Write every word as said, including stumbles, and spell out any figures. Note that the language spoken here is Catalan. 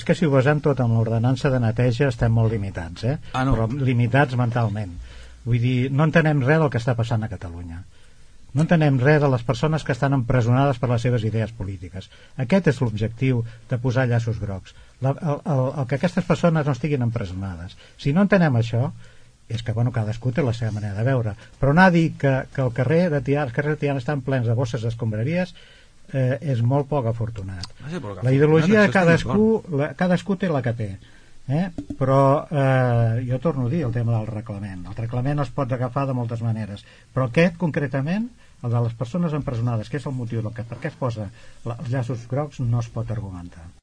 És que si ho basem tot amb l'ordenança de neteja estem molt limitats, eh? Ah, no. Però limitats mentalment. Vull dir, no entenem res del que està passant a Catalunya. No entenem res de les persones que estan empresonades per les seves idees polítiques. Aquest és l'objectiu de posar llaços grocs. La, el, el, el que aquestes persones no estiguin empresonades. Si no entenem això, és que bueno, cadascú té la seva manera de veure. Però anar a dir que, que el carrer de Tiana, els carrers de Tiana estan plens de bosses d'escombraries eh, és molt poc afortunat. La ideologia de cadascú, la, cadascú té la que té. Eh? Però eh, jo torno a dir el tema del reglament. El reglament es pot agafar de moltes maneres, però aquest concretament, el de les persones empresonades, que és el motiu del que, per què es posa els llaços grocs, no es pot argumentar.